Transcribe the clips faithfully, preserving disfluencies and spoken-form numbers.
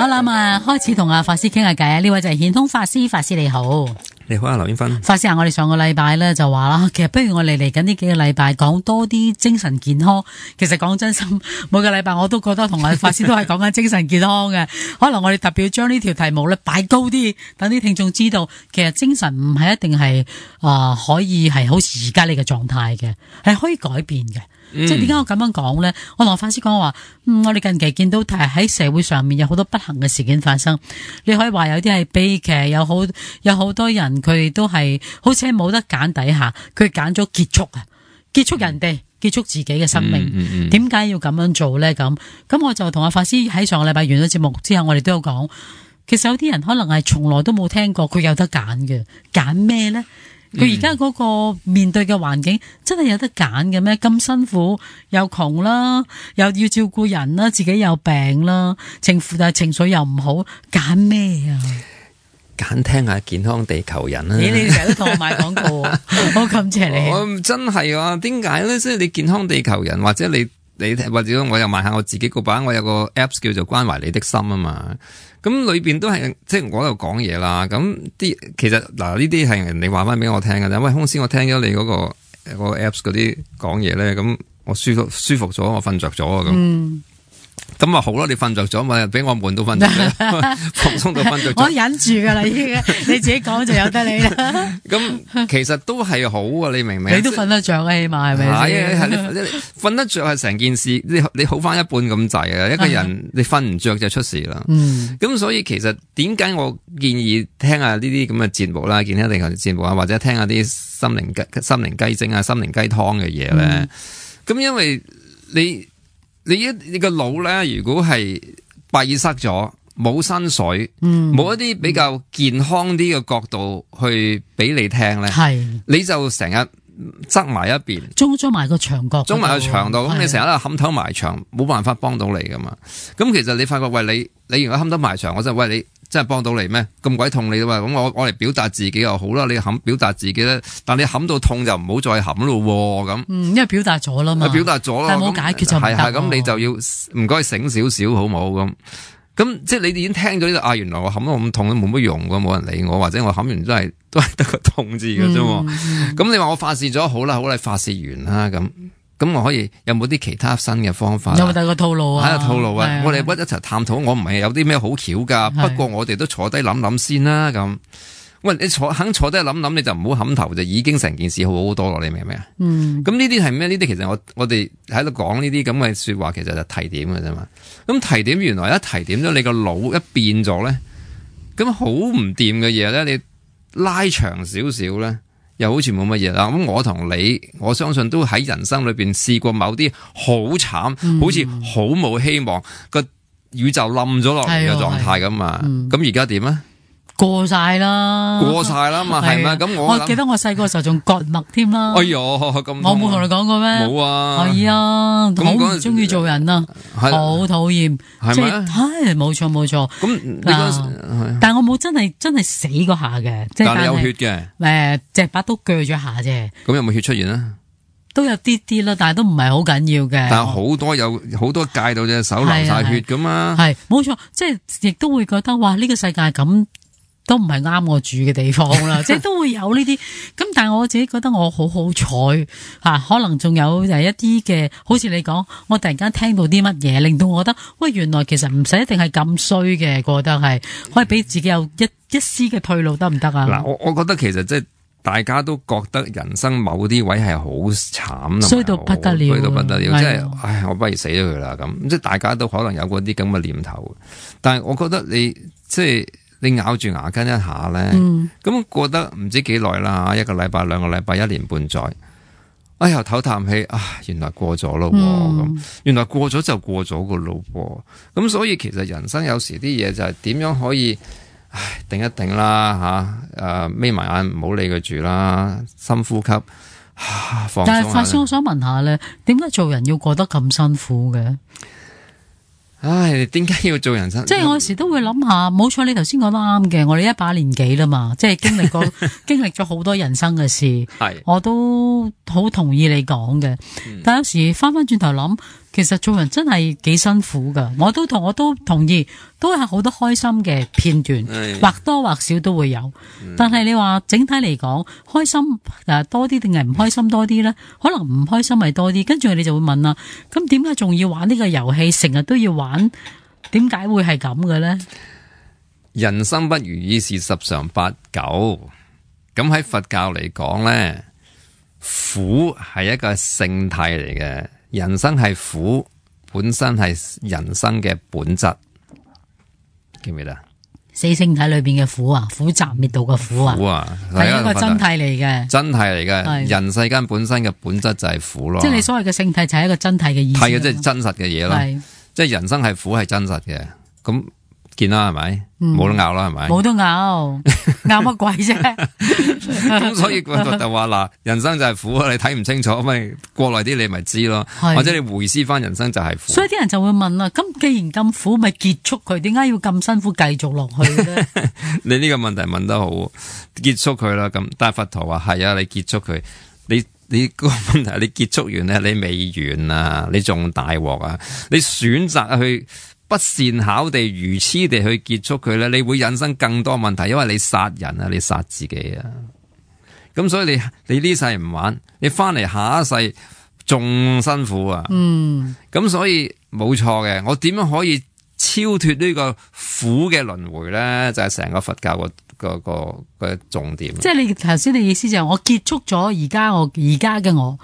好啦，咁啊，開始同阿法師傾下偈啊！呢位就係顯通法師，法師你好。你好啊，劉英芬。法師啊，我哋上個禮拜咧就話啦，其實不如我哋嚟緊呢幾個禮拜講多啲精神健康。其實講真心，每個禮拜我都覺得同阿法師都係講緊精神健康嘅。可能我哋特別要將呢條題目咧擺高啲，等啲聽眾知道，其實精神唔係一定係啊、呃、可以係好似而家呢個狀態嘅，係可以改變嘅。嗯、即係點解我咁樣講咧？我同法師講話，嗯，我哋近期見到係喺社會上面有好多不幸嘅事件發生。你可以話有啲係悲劇，有好有好多人佢哋都係好似冇得揀底下，佢揀咗結束啊，結束人哋，結束自己嘅生命。點解、嗯嗯嗯、要咁樣做咧？咁咁我就同阿法師喺上個禮拜完咗節目之後，我哋都有講，其實有啲人可能係從來都冇聽過，佢有得揀嘅，揀咩咧？佢而家嗰個面對嘅環境真係有得揀嘅咩？咁辛苦又窮啦，又要照顧人啦，自己有病啦，情但係情緒又唔好，揀咩啊？揀聽下健康地球人啦！咦，你成日都同我賣廣告，好感謝你。我真係啊，點解咧？即係你健康地球人，或者你你或者我又賣下我自己個版，我有個 apps 叫做關懷你的心啊嘛。咁裏邊都係即係我喺度講嘢啦。咁啲其實嗱呢啲係人哋話翻俾我聽嘅啫。喂，公司我聽咗你嗰、嗰個、嗰個 apps 嗰啲講嘢咧，咁我舒服舒服咗，我瞓着咗啊咁。嗯咁啊好咯，你瞓着咗咪俾我悶到瞓着咗，放鬆到瞓着咗。我忍住噶啦，已經你自己講就由得你啦。咁其實都係好啊，你明唔明？你都瞓得着啊，起碼係咪？係係你瞓得着係成件事，你你好翻一半咁滯啊！一個人你瞓唔着就出事啦。嗯，咁所以其實點解我建議聽下呢啲咁嘅節目啦，見下另外節目啊，或者聽下啲心靈雞心靈雞精啊、心靈雞湯嘅嘢咧？咁、嗯、因為你。你一你個腦咧，如果係閉塞咗，冇新水，冇、嗯、一啲比較健康啲嘅角度去俾你聽咧，係你就成日側埋一邊，裝裝埋個牆角，裝埋個牆度，咁你成日都冚頭埋牆，冇辦法幫到你噶嘛。咁其實你發覺，喂你你如果冚頭埋牆，我真係喂你。真係幫到你咩？咁鬼痛你啊嘛！咁我我嚟表達自己又好啦，你冚表達自己咧，但你冚到痛就唔好再冚咯咁。嗯，因為表達咗啦嘛，表達咗啦，但係冇解決就唔得。係係咁，你就要唔該醒少少好冇咁。咁即係你哋已經聽咗呢度啊，原來我冚到咁痛都冇乜用噶，冇人理我，或者我冚完都係都係得個痛字嘅啫。咁、嗯嗯、你話我發泄咗好啦，好啦，發泄完啦咁。咁我可以有冇啲其他新嘅方法？有冇第二個套路啊？係啊，套路啊！我哋一齊探討。我唔係有啲咩好巧噶，不過我哋都坐低諗諗先啦。咁，喂，你坐肯坐低諗諗，你就唔好冚頭，就已經成件事好好多咯。你明唔明啊？嗯。咁呢啲係咩？呢啲其實我我哋喺度講呢啲咁嘅說話，其實就提點嘅啫嘛。咁提點原來一提點咗你個腦一變咗咧，咁好唔掂嘅嘢咧，你拉長少少咧。又好似冇乜嘢啦，咁我同你，我相信都喺人生裏邊試過某啲好慘，嗯、好似好冇希望，個宇宙冧咗落嚟嘅狀態咁嘛。咁而家點啊？過晒啦，過晒啦嘛，係咪？咁我我記得我細個時候仲割脈添啦。哎喲，咁我冇同你講過咩？冇啊。係啊，好唔中意做人啊，好討厭。係咪？係冇錯冇錯。咁但係我冇真係真係死嗰下嘅，即係但係有血嘅。誒，隻把刀鋸咗下啫。咁有冇血出現啊？都有啲啲啦，但係都唔係好緊要嘅。但係好多有好多戒到隻手流晒血噶嘛。係冇錯，即係亦都會覺得哇，呢個世界咁。都唔係啱我住嘅地方啦，即係都會有呢啲咁，但係我自己覺得我好好彩吓，可能仲有誒一啲嘅，好似你講，我突然間聽到啲乜嘢，令到我覺得喂，原來其實唔使一定係咁衰嘅，覺得係可以俾自己有一一絲嘅退路得唔得啊？嗱，我我覺得其實即係大家都覺得人生某啲位係好慘，衰到不得了，衰到不得了，即係唉，我不如死咗佢啦咁，即係大家都可能有嗰啲咁嘅念頭，但係我覺得你即係。你咬住牙根一下咧，咁、嗯、過得唔知幾耐啦，一個禮拜、兩個禮拜、一年半載，哎呀唞啖氣啊，原來過咗咯，咁、嗯、原來過咗就過咗個咯，咁所以其實人生有時啲嘢就係點樣可以，唉，定一定啦吓，誒眯埋眼唔好理佢住啦，深呼吸，啊、放鬆下。但係法師，我想問下咧，點解做人要過得咁辛苦嘅？唉，點解要做人生？即係我有時都會諗下，冇錯，你頭先講得啱嘅。我哋一把年紀啦嘛，即係經歷過經歷咗好多人生嘅事，係我都好同意你講嘅。嗯、但有時翻翻轉頭諗，其實做人真係幾辛苦噶，我都同我都同意，都係好多開心嘅片段，或多或少都會有。嗯、但係你話整體嚟講，開心誒多啲定係唔開心多啲呢？可能唔開心係多啲，跟住你就會問啦，咁點解仲要玩呢個遊戲？成日都要玩，點解會係咁嘅呢？人生不如意事十常八九，咁喺佛教嚟講呢，苦係一個性體嚟嘅。人生係苦，本身係人生嘅本質，記唔記得？四聖體裏邊嘅苦啊，苦集滅道嘅苦啊，苦啊，係一個真諦嚟嘅，真諦嚟嘅。人世間本身嘅本質就係苦咯。即係你所謂嘅聖體就係一個真諦嘅意思。係啊，即係真實嘅嘢咯。即係人生係苦係真實嘅，咁見啦係咪？冇、嗯、得拗啦係咪？冇得拗，拗乜鬼啫？咁所以就就話嗱，人生就係苦，你睇唔清楚，咪過來啲你咪知咯，或者你回思翻人生就係苦。所以啲人就會問啦，咁既然咁苦，咪結束佢？點解要咁辛苦繼續落去咧？你呢個問題問得好，結束佢啦。咁但係佛陀話係啊，你結束佢，你你個問題你結束完咧，你未完啊，你仲大鑊啊，你選擇去。不善巧地、愚癡地去結束佢咧，你會引生更多問題，因為你殺人啊，你殺自己啊。咁所以你你呢世唔玩，你翻嚟下一世仲辛苦啊。嗯。咁所以冇錯嘅，我點樣可以超脫呢個苦嘅輪迴咧？就係、是、成個佛教個個個個重點。即係你頭先你意思就係我結束咗而家我而家嘅我。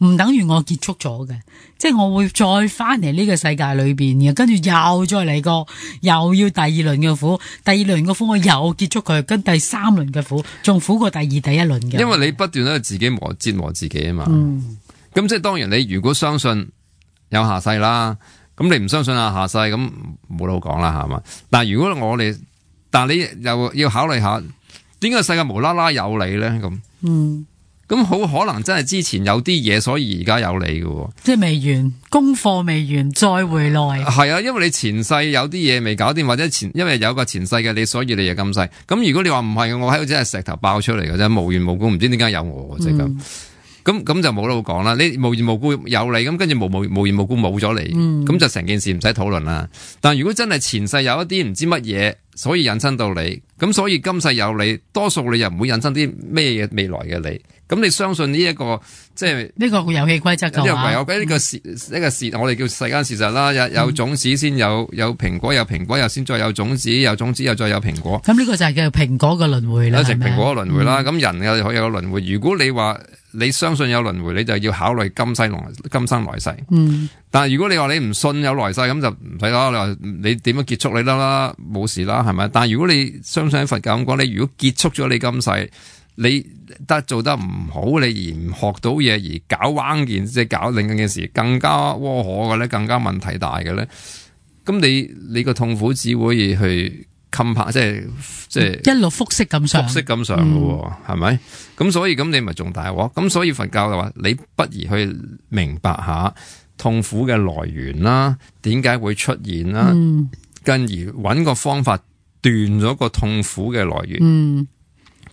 唔等於我結束咗嘅，即係我會再翻嚟呢個世界裏邊嘅，跟住又再嚟過，又要第二輪嘅苦，第二輪嘅苦我又結束佢，跟第三輪嘅苦仲苦過第二第一輪嘅。因為你不斷喺度自己磨折磨自己啊嘛。咁、嗯、即係當然你如果相信有下世啦，咁你唔相信啊下世咁冇得好講啦係嘛。但係如果我哋，但係你又要考慮下，點解世界無啦啦有你咧咁？嗯。咁好可能真係之前有啲嘢，所以而家有你嘅，即係未完功課未完再回來。係啊，因為你前世有啲嘢未搞掂，或者前因為有個前世嘅你，所以你就今世。咁如果你話唔係，我喺度真係石頭爆出嚟嘅啫，無緣無故唔知點解有我即係咁。咁咁就冇得好講啦。你無緣無故有你，咁跟住無無無緣無故冇咗你，咁、嗯、就成件事唔使討論啦。但如果真係前世有一啲唔知乜嘢，所以引申到你，咁所以今世有你，多數你又唔會引申啲咩嘢未來嘅你。咁你相信呢、這、一個即係呢個遊戲規則嘅話，唯有俾呢個事呢個事，我哋叫世間事實啦。有有種子先有有蘋果，有蘋果又先再有種子，有種子又再有蘋果。咁呢個就係叫蘋果嘅輪迴啦，係咪？蘋果嘅輪迴啦。咁、嗯、人又可以有個輪迴。如果你話你相信有輪迴，你就要考慮今世來今生來世。嗯。但係如果你話你唔信有來世，咁就唔使啦。你話你點樣結束你得啦，冇事啦，係咪？但係如果你相信佛教咁講，你如果結束咗你今世，你得做得唔好，你而唔學到嘢，而搞彎件，即係搞另一件事更加窩可嘅咧，更加問題大嘅咧，咁你你個痛苦只會去冚拍，即係即係一路複式咁上，複式咁上嘅，係咪？咁所以咁你咪仲大鑊？咁所以佛教就話，你不如去明白下痛苦嘅來源啦，點解會出現啦，嗯、跟而揾個方法斷咗個痛苦嘅來源。嗯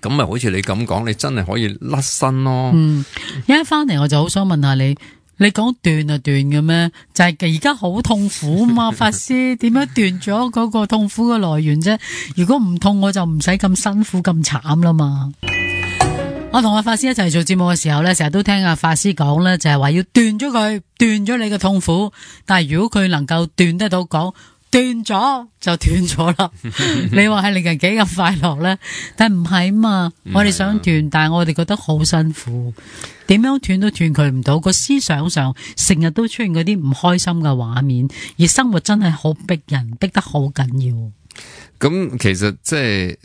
咁咪好似你咁講，你真係可以甩身咯。嗯，一翻嚟我就好想問下你，你講斷就斷嘅咩？就係而家好痛苦嘛，法師點樣斷咗嗰個痛苦嘅來源啫？如果唔痛，我就唔使咁辛苦咁慘啦嘛。我同阿法師一齊做節目嘅時候咧，成日都聽阿法師講咧，就係話要斷咗佢，斷咗你嘅痛苦。但係如果佢能夠斷得到講。斷咗就斷咗啦，你話係令人幾咁快樂咧？但係唔係嘛，我哋想斷，但係我哋覺得好辛苦，點樣斷都斷佢唔到。個思想上成日都出現嗰啲唔開心嘅畫面，而生活真係好逼人，逼得好緊要。咁其實即係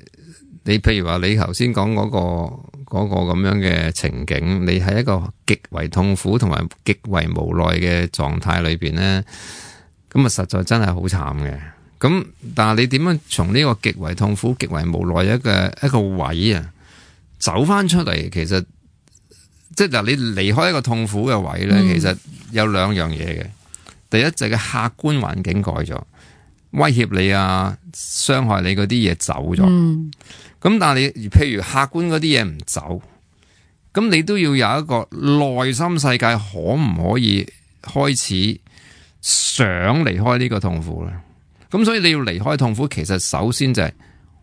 你譬如話你頭先講嗰個嗰個咁樣嘅情景，你喺一個極為痛苦同埋極為無奈嘅狀態裏邊咧。咁啊，實在真係好慘嘅。咁但係你點樣從呢個極為痛苦、極為無奈一個一個位啊，走翻出嚟？其實即係嗱，你離開一個痛苦嘅位咧，嗯、其實有兩樣嘢嘅。第一就係個客觀環境改咗，威脅你啊、傷害你嗰啲嘢走咗。咁、嗯、但係你譬如客觀嗰啲嘢唔走，咁你都要有一個內心世界，可唔可以開始？想離開呢個痛苦啦。咁所以你要離開痛苦，其實首先就係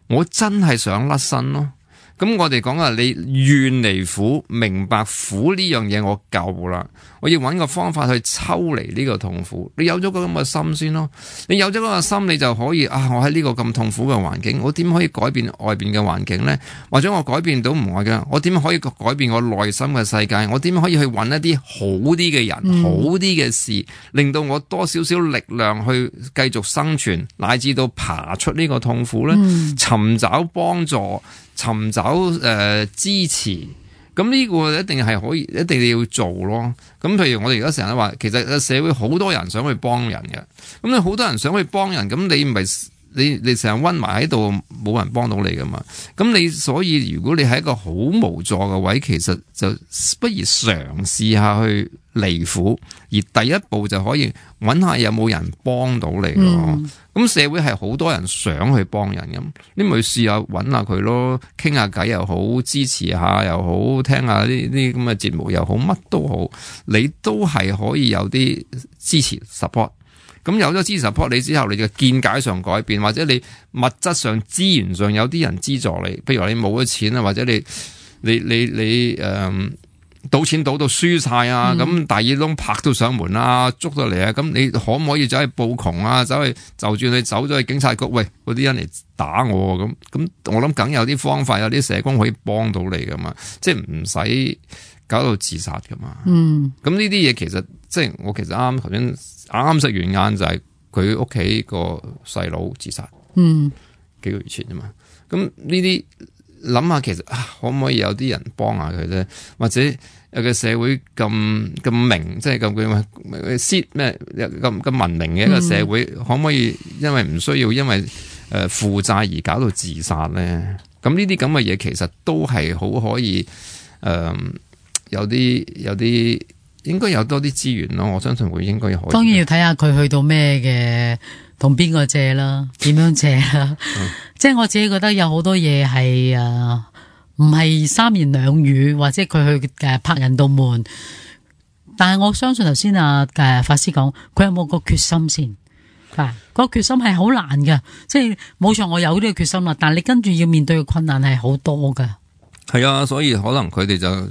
我真係想甩身咯。咁我哋講啊，你願離苦，明白苦呢樣嘢我夠啦，我要揾個方法去抽離呢個痛苦。你有咗個咁嘅心先咯，你有咗嗰個心，你就可以啊！我喺呢個咁痛苦嘅環境，我點可以改變外邊嘅環境呢？或者我改變到唔愛嘅，我點可以改變我內心嘅世界？我點可以去揾一啲好啲嘅人、嗯、好啲嘅事，令到我多少少力量去繼續生存，乃至到爬出呢個痛苦呢？嗯、尋找幫助。尋找誒、呃、支持，咁呢個一定係可以，一定要做咯。咁譬如我哋而家成日話，其實社會好多人想去幫人嘅，咁你好多人想去幫人，咁你唔係你你成日溫埋喺度，冇人幫到你噶嘛。咁你所以如果你喺一個好無助嘅位，其實就不如嘗試下去離苦，而第一步就可以揾下有冇人幫到你咯。咁、嗯、社會係好多人想去幫人咁，你咪試下揾下佢咯，傾下偈又好，支持下又好，聽下呢啲咁嘅節目又好，乜都好，你都係可以有啲支持 support。咁有咗支持 support 你之後，你嘅見解上改變，或者你物質上資源上有啲人資助你，譬如話你冇咗錢啊，或者你你你你誒。呃賭錢賭到輸晒啊！咁、嗯、大耳窿拍到上門啊，捉到嚟啊！咁你可唔可以走去報窮啊？走去就算你走咗去警察局，喂，嗰啲人嚟打我咁咁，我諗梗有啲方法，有啲社工可以幫到你噶嘛，即係唔使搞到自殺噶嘛。嗯，咁呢啲嘢其實即係我其實啱啱頭先啱啱食完晏就係佢屋企個細佬自殺。嗯，幾個月前啫嘛。咁呢啲。諗下其實啊，可唔可以有啲人幫下佢咧？或者有個社會咁咁明，即係咁佢先咩咁咁文明嘅一個社會，嗯、可唔可以因為唔需要因為誒、呃、負債而搞到自殺咧？咁呢啲咁嘅嘢其實都係好可以誒、呃，有啲有啲應該有多啲資源咯。我相信會應該可以。當然要睇下佢去到咩嘅。同邊個借啦？點樣借啦？嗯、即係我自己覺得有好多嘢係誒，唔係三言兩語，或者佢去誒拍人道門。但係我相信頭先啊誒法師講，佢有冇個決心先？啊，嗰個決心係好難㗎，即係冇錯，我有呢個決心啦。但係你跟住要面對嘅困難係好多㗎。係啊，所以可能佢哋就。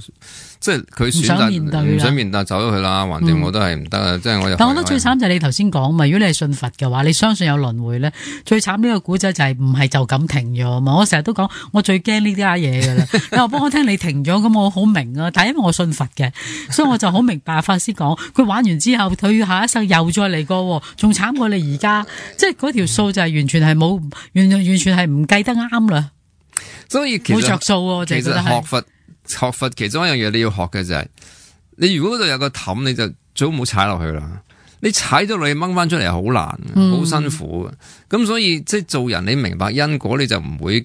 即係佢選擇唔想面對，唔想面對走咗去啦，橫掂我都係唔得啊！即係我又。但我覺得最慘就係你頭先講嘛，如果你係信佛嘅話，你相信有輪迴咧，最慘呢個古仔就係唔係就咁停咗嘛？我成日都講，我最驚呢啲家嘢噶啦。你話幫我聽你停咗，咁我好明啊。但係因為我信佛嘅，所以我就好明白法師講，佢玩完之後，佢下一世又再嚟過，仲慘過你而家。即係嗰條數就係完全係冇，完完全係唔計得啱啦。所以其實冇着數，我就覺得係。其實學佛。學佛其中一樣嘢你要學嘅就係、是，你如果嗰度有個氹，你就最好唔好踩落去啦。你踩咗落去掹翻出嚟好難，好、嗯、辛苦嘅。咁所以即係做人，你明白因果，你就唔會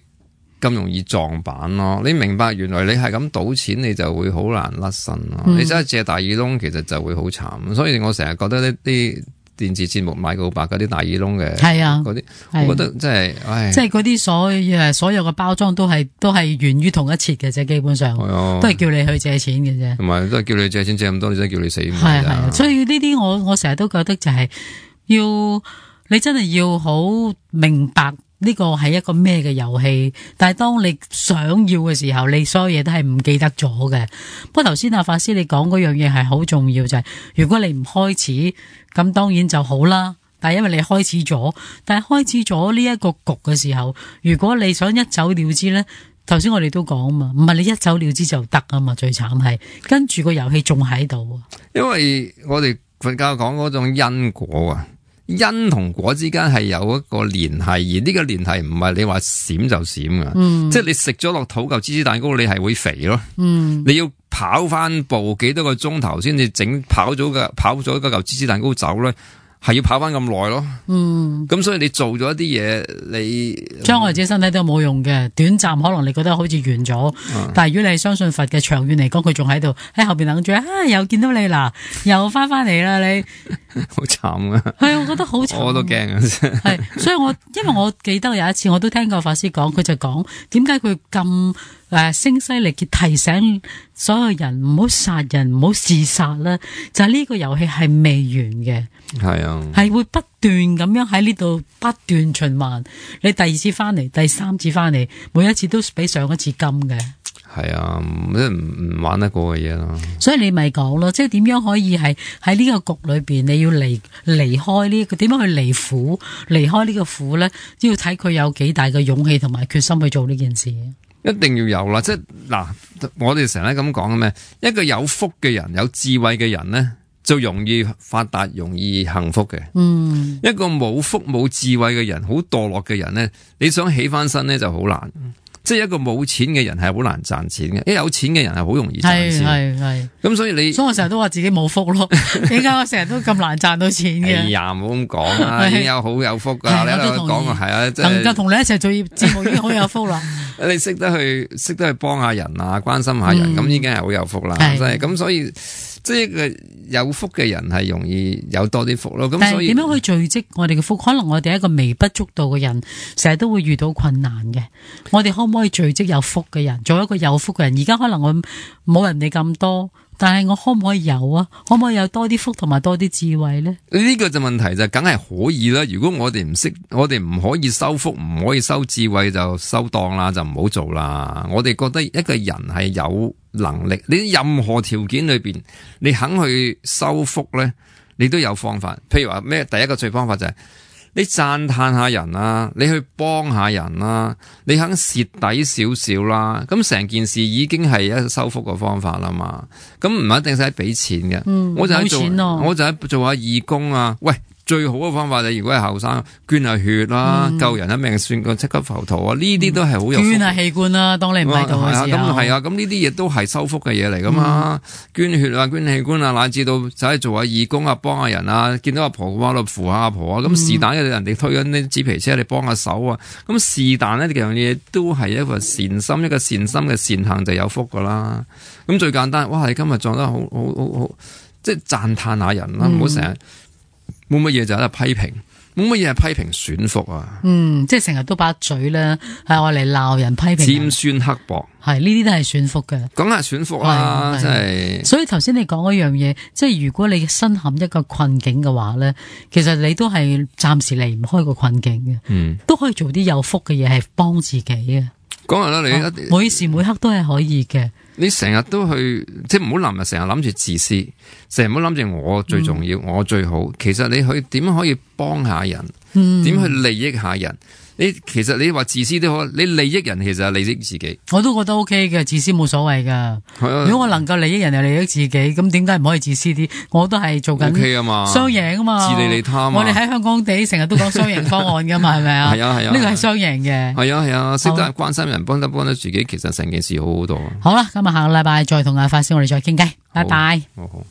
咁容易撞板咯。你明白原來你係咁賭錢，你就會好難甩身咯。嗯、你真係借大耳窿，其實就會好慘。所以我成日覺得呢啲。電視節目買告白嗰啲大耳窿嘅，係啊，嗰啲，我覺得真係，唉，即係嗰啲所誒所有嘅包裝都係都係源於同一設嘅啫，基本上，啊、都係叫你去借錢嘅啫，同埋都係叫你借錢借咁多，你真係叫你死。係係啊，所以呢啲我我成日都覺得就係要你真係要好明白。呢個係一個咩嘅遊戲？但係當你想要嘅時候，你所有嘢都係唔記得咗嘅。不過頭先阿法師你講嗰樣嘢係好重要，就係、是、如果你唔開始，咁當然就好啦。但係因為你開始咗，但係開始咗呢一個局嘅時候，如果你想一走了之呢，頭先我哋都講嘛，唔係你一走了之就得啊嘛。最慘係跟住個遊戲仲喺度。因為我哋佛教講嗰種因果啊。因同果之間係有一個聯繫，而呢個聯繫唔係你話閃就閃噶，嗯、即係你食咗落肚嚿芝士蛋糕，你係會肥咯。嗯、你要跑翻步幾多個鐘頭先至整跑咗嘅跑咗嗰嚿芝士蛋糕走咧，係要跑翻咁耐咯。嗯，咁所以你做咗一啲嘢，你將來自己身體都冇用嘅，短暫可能你覺得好似完咗，嗯、但係如果你係相信佛嘅，長遠嚟講佢仲喺度喺後邊等住啊，又見到你啦，又翻翻嚟啦你。好慘啊！係，我覺得好慘，我都驚啊！係，所以我因為我記得有一次我都聽過法師講，佢就講點解佢咁誒聲嘶力竭提醒所有人唔好殺人，唔好自殺啦。就係呢個遊戲係未完嘅，係啊，係會不斷咁樣喺呢度不斷循環。你第二次翻嚟，第三次翻嚟，每一次都比上一次金嘅。係啊，即係唔唔玩得過嘅嘢咯。所以你咪講咯，即係點樣可以係喺呢個局裏邊，你要離離開呢個點樣去離苦，離開呢個苦咧，都要睇佢有幾大嘅勇氣同埋決心去做呢件事。一定要有啦，即係嗱，我哋成日咁講嘅咩？一個有福嘅人，有智慧嘅人咧，就容易發達，容易幸福嘅。嗯，一個冇福冇智慧嘅人，好墮落嘅人咧，你想起翻身咧就好難。即係一個冇錢嘅人係好難賺錢嘅，一有錢嘅人係好容易賺錢。係係係。咁所以你，所以我成日都話自己冇福咯。點解我成日都咁難賺到錢嘅？哎呀，唔好咁講啦，已經有好有福噶。你喺度講啊，係啊，能夠同你一齊做節目已經好有福啦。你識得去識得去幫下人啊，關心下人，咁、嗯、已經係好有福啦。真係咁，所以即係一個有福嘅人係容易有多啲福咯。咁所以點樣去聚積我哋嘅福？可能我哋一個微不足道嘅人，成日都會遇到困難嘅。我哋可唔可以聚積有福嘅人，做一個有福嘅人？而家可能我冇人哋咁多，但係我可唔可以有啊？可唔可以有多啲福同埋多啲智慧呢？呢個就問題就梗係可以啦。如果我哋唔識，我哋唔可以收福，唔可以收智慧，就收檔啦，就唔好做啦。我哋覺得一個人係有能力，你任何條件裏邊，你肯去收福咧，你都有方法。譬如話咩？第一個最方法就係、是。你讚嘆下人啦，你去幫下人啦，你肯蝕底少少啦，咁成件事已經係一個收福嘅方法啦嘛。咁唔一定使俾錢嘅、嗯，我就喺做，我就喺做下義工啊。喂，最好嘅方法就如果係後生，捐下血啦，嗯、救人一命算個七級浮屠啊！呢啲都係好有福。捐下器官啦，當你唔喺度嘅時候。咁係啊，咁呢啲嘢都係收福嘅嘢嚟噶嘛、嗯。捐血啊，捐器官啊，乃至到就係做下義工啊，幫下人啊，見到阿婆嘅話，度扶下阿婆啊。咁是但嘅人哋推緊啲紙皮車，你幫下手啊。咁是但呢樣嘢都係一個善心，一個善心嘅善行就有福噶啦。咁最簡單，哇！你今日做得好好好好，即係讚嘆下人啦，唔好成日。冇乜嘢就喺度批評，冇乜嘢係批評損福啊！嗯，即係成日都把嘴咧，係我嚟鬧人批評，尖酸刻薄，係呢啲都係損福嘅，梗係損福啦，真係。所以頭先你講嗰樣嘢，即係如果你身陷一個困境嘅話咧，其實你都係暫時離唔開個困境嘅，嗯，都可以做啲有福嘅嘢，係幫自己嘅。講下啦，你一、哦、每時每刻都係可以嘅。你成日都去，即係唔好諗啊！成日諗住自私，成日唔好諗住我最重要，嗯、我最好。其實你去點可以幫下人？點、嗯、去利益下人？你其實你話自私都好，你利益人其實係利益自己。我都覺得 OK 嘅，自私冇所謂噶。如果我能夠利益人又利益自己，咁點解唔可以自私啲？我都係做緊 OK 啊嘛，雙贏啊嘛，自利利他嘛。我哋喺香港地成日都講雙贏方案噶嘛，係咪啊？係啊係啊，呢個係雙贏嘅。係啊係啊，識得關心人，幫得幫得自己，其實成件事好好多。好啦，今日下個禮拜再同阿法師我哋再傾偈，拜拜。好好。